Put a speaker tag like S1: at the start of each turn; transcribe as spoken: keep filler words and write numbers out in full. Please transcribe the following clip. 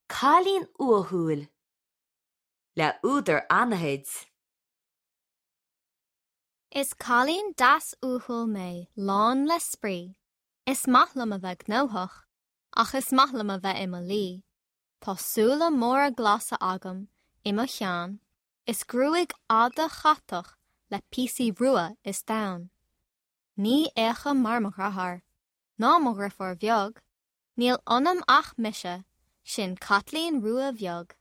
S1: Cailín Uathúil le údar anaithnid.
S2: Is cailín deas uathúil mé lán le spraoi. Is maith liom a bheith gnóthach, ach is maith liom a bheith i mo luí. Tá súile móra glasa agam i mo cheann, is gruaig fhada chatach le píosaí rua is donn. Ní fhéachaim mar mo dheartháir, ná mo dheirfiúr bheag, Níl ionam ach mise, sin Caitlín Rua Bheag.